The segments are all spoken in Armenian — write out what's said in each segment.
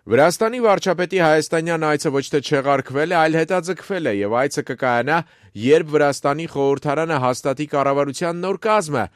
Վրաստանի վարչապետի հայաստանյան այցը ոչ թե չեղարկվել է, այլ հետաձգվել է եւ այցը կկայանա, երբ Վրաստանի խորհրդարանը հաստատի կառավարության նոր կազմը։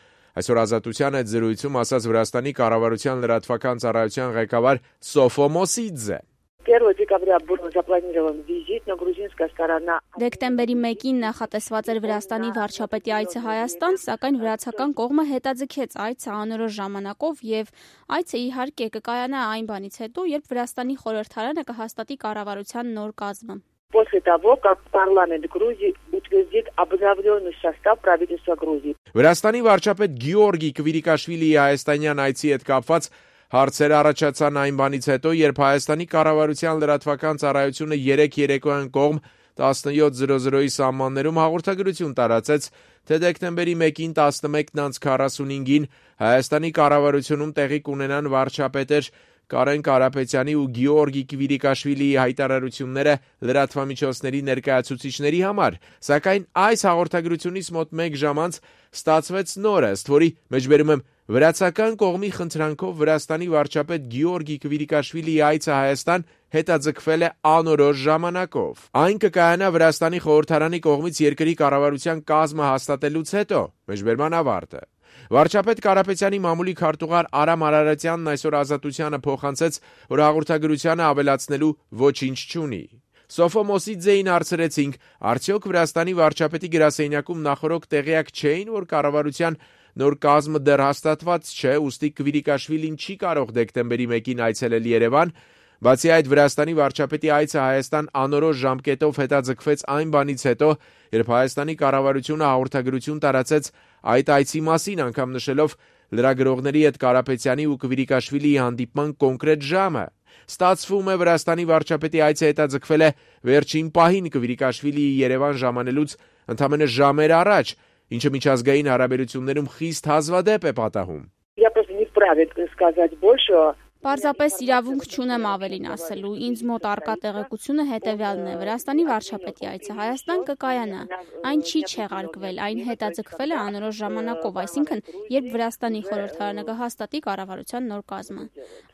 Այսօր Ազատության հետ զրույցում ասաց Վրաստանի կառավարության լրատվական ծառայության ղեկավար Սոֆո Մոսիդզե. 1 декабря был запланирован визит на грузинская сторона. Դեկտեմբերի 1-ին նախատեսված էր Վրաստանի վարչապետի այցը Հայաստան, սակայն վրացական կողմը հետաձգեց այցը անորոշ ժամանակով եւ այցը իհարկե կկայանա այն բանից հետո, երբ Վրաստանի խորհրդարանը կհաստատի կառավարության նոր կազմը։ После того, как парламент Грузии утвердит обновленный состав правительства Грузии. Վրաստանի վարչապետ Գեորգի Կվիրիկաշվիլիի հայաստանյան այցի հետ կապված հարցեր առաջացան այն բանից հետո, երբ Հայաստանի կառավարության լրատվական ծառայությունը 3 երեկոյան կողմ 17:00-ի սահմաններում հաղորդագրություն տարածեց, թե դեկտեմբերի 1-ին 11:45-ին Հայաստանի կառավարությունում տեղի կունենան վարչապետեր Կարեն Կարապետյանի ու Գեորգի Կվիրիկաշվիլիի հայտարարությունները լրատվամիջոցների ներկայացուցիչների համար, սակայն այս հաղորդագրությունից մոտ 1 ժամ անց ստացվեց նորը, ըստ որի մեջբերում եմ վրացական կողմի խնդրանքով Վրաստանի վարչապետ Գեորգի Կվիրիկաշվիլիի այցը Հայաստան հետաձգվել է անորոշ ժամանակով։ Այն կկայանա Վրաստանի խորհրդարանի կողմից երկրի կառավարության կազմը հաստատելուց հետո, մեջբերման ավարտը։ Վարչապետ Կարապետյանի մամուլի քարտուղար Արամ Արարատյանն այսօր Ազատությանը փոխանցեց, որ հաղորդագրությանը ավելացնելու ոչինչ չունի։ Սոֆո Մոսիդզեին հարցրեցինք, արդյոք Վրաստանի վարչապետի գրասենյակում նախորդ տեղյակ չէին, որ կառավարության նոր կազմը դեռ հաստատված չէ, ուստի Կվիրիկաշվիլին չի կարող դեկտեմբերի 1-ին այցելել Երևան։ Բացի այդ, Վրաստանի վարչապետի այցը Հայաստան անորոշ ժամկետով հետաձգվեց այն բանից հետո, երբ Հայաստանի կառավարությունը հաղորդագրություն տարածեց այդ այցի մասին, անգամ նշելով լրագրողների հետ Կարապետյանի ու Կվիրիկաշվիլիի հանդիպման կոնկրետ ժամը։ Ստացվում է, Վրաստանի վարչապետի այցը հետաձգվել է վերջին պահին Կվիրիկաշվիլիի Երևան ժամանելուց ընդամենը ժամեր առաջ, ինչը միջազգային հարաբերություններում խիստ հազվադեպ է պատահում։ Я просто не вправе сказать больше. Պարզապես իրավունք չունեմ ավելին ասելու, ինձ մոտ առկա տեղեկությունը հետևյալն է. Վրաստանի վարչապետի այցը Հայաստան կկայանա, այն չի չեղարկվել, այն հետաձգվել է անորոշ ժամանակով, այսինքն երբ Վրաստանի խորհրդարանը կհաստատի կառավարության նոր կազմը։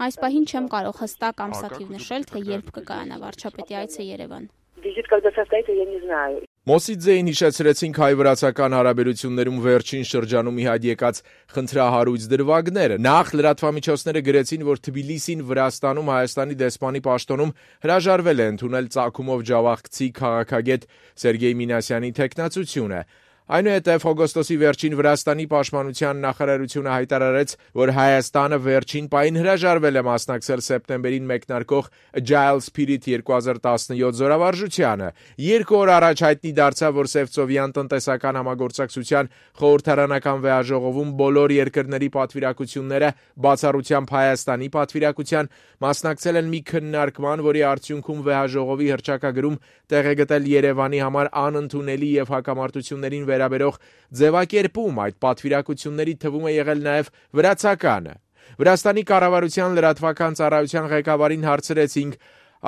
Այս պահին չեմ կարող հստակ ամսաթիվ նշել, թե երբ կկայանա վարչապետի այցը Երևան։ Визит когда состоится, я не знаю. Մոսիդզեին հիշեցրեցինք հայ-վրացական հարաբերություններում վերջին շրջանում ի հայտ եկած խնդրահարույց դրվագները։ Նախ լրատվամիջոցները գրեցին, որ Թբիլիսին Վրաստանում Հայաստանի դեսպանի պաշտոնում հրաժարվել է ընդունել ծագումով ջավախքցի քաղաքագետ Սերգեյ Մինասյանի թեկնածությունը։ Այնուհետև օգոստոսի վերջին Վրաստանի պաշտպանության նախարարությունը հայտարարեց, որ Հայաստանը վերջին պահին հրաժարվել է մասնակցել սեպտեմբերին մեկնարկող Agile Spirit 2017 զորավարժությանը։ 2 օր առաջ հայտնի դարձավ, որ Սևծովյան տնտեսական համագործակցության խորհրդարանական վեհաժողովում բոլոր երկրների պատվիրակությունները, բացառությամբ Հայաստանի պատվիրակության, մասնակցել են մի քննարկման, որի արդյունքում վեհաժողովի հռչակագրում տեղ է գտել Երևանի համար անընդունելի եւ հակամարտություններին վերաբերող ձևակերպում, այդ պատվիրակությունների թվում է եղել նաև վրացականը։ Վրաստանի կառավարության լրատվական ծառայության ղեկավարին հարցրեցինք,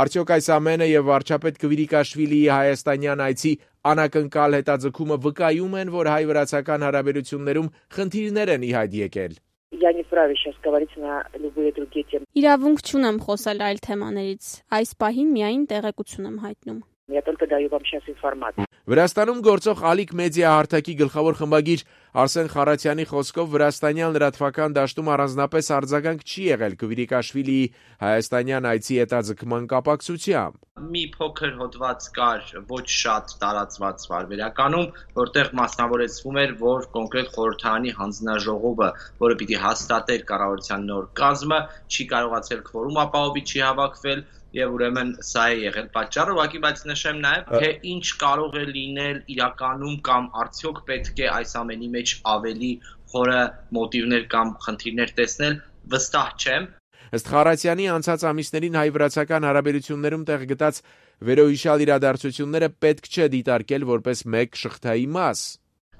արդյոք այս ամենը եւ վարչապետ Կվիրիկաշվիլիի հայաստանյան այցի անակնկալ հետաձգումը վկայում են, որ հայ-վրացական հարաբերություններում խնդիրներ են ի հայտ եկել։ Я не вправе сейчас говорить на любые другие темы. Իրավունք չունեմ խոսել այլ թեմաներից, այս պահին միայն տեղեկություն եմ հայտնում։ Я только даю вам сейчас информацию. Վրաստանում գործող Ալիկ մեդիա հարթակի գլխավոր խմբագիր Արսեն Խարատյանի խոսքով Վրաստանյան լրատվական դաշտում առանձնապես արձագանք չի եղել Կվիրիկաշվիլիի հայաստանյան այցի հետաձգման կապակցությամբ։ Մի փոքր հոդված կար, ոչ շատ տարածված վարվերականում, որտեղ մասնավորեցվում էր, որ կոնկրետ խորհրդարանի հանձնաժողովը, որը պիտի հաստատեր կառավարության նոր կազմը, չի կարողացել քվորում ապահովի, չի հավաքվել եւ ուրեմն սա է եղել պատճառը, ուղղակի բայց նշեմ նաեւ, թե ինչ կարող է լինել իրականում կամ արդյոք պետք է այս ամենի մեջ ավելի խորը մոտիվներ կամ խնդիրներ տեսնել, վստահ չեմ։ Ըստ Խարատյանի անցած ամիսներին հայ-վրացական հարաբերություններում տեղ գտած վերոհիշյալ իրադարձությունները պետք չէ դիտարկել որպես մեկ շղթայի մաս։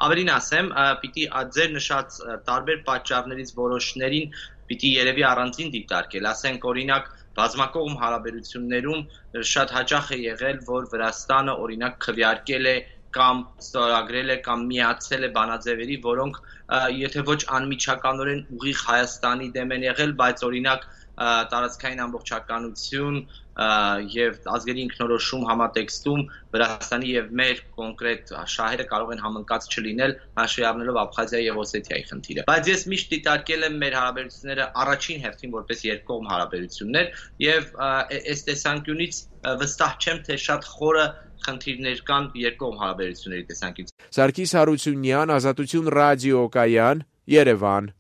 Ավելին ասեմ, պիտի ձեր նշած տարբեր պատճառներից որոշներին պիտի երևի առանձին դիտարկել, ասենք օրինակ բազմակողմ հարաբերություններում շատ հաճախ է եղել, որ Վրաստանը օրինակ քվեարկել է կամ ստորագրել է կամ միացել է բանաձևերի, որոնք եթե ոչ անմիջականորեն ուղիղ Հայաստանի դեմ են եղել, բայց օրինակ տարածքային ամբողջականություն եւ ազգերի ինքնորոշում համատեքստում Վրաստանի եւ մեր կոնկրետ շահերը կարող են համընկած չլինել, հաշվի առնելով Աբխազիայի եւ Օսեթիայի խնդիրը։ Բայց ես միշտ դիտարկել եմ մեր հարաբերությունները առաջին հերթին որպես երկկողմ հարաբերություններ եւ այս տեսանկյունից վստահ չեմ, թե շատ խորը խնդիրներ կան երկկողմ հարաբերությունների տեսանկյունից։ Սարգիս Հարությունյան, Ազատություն ռադիոկայան, Երևան։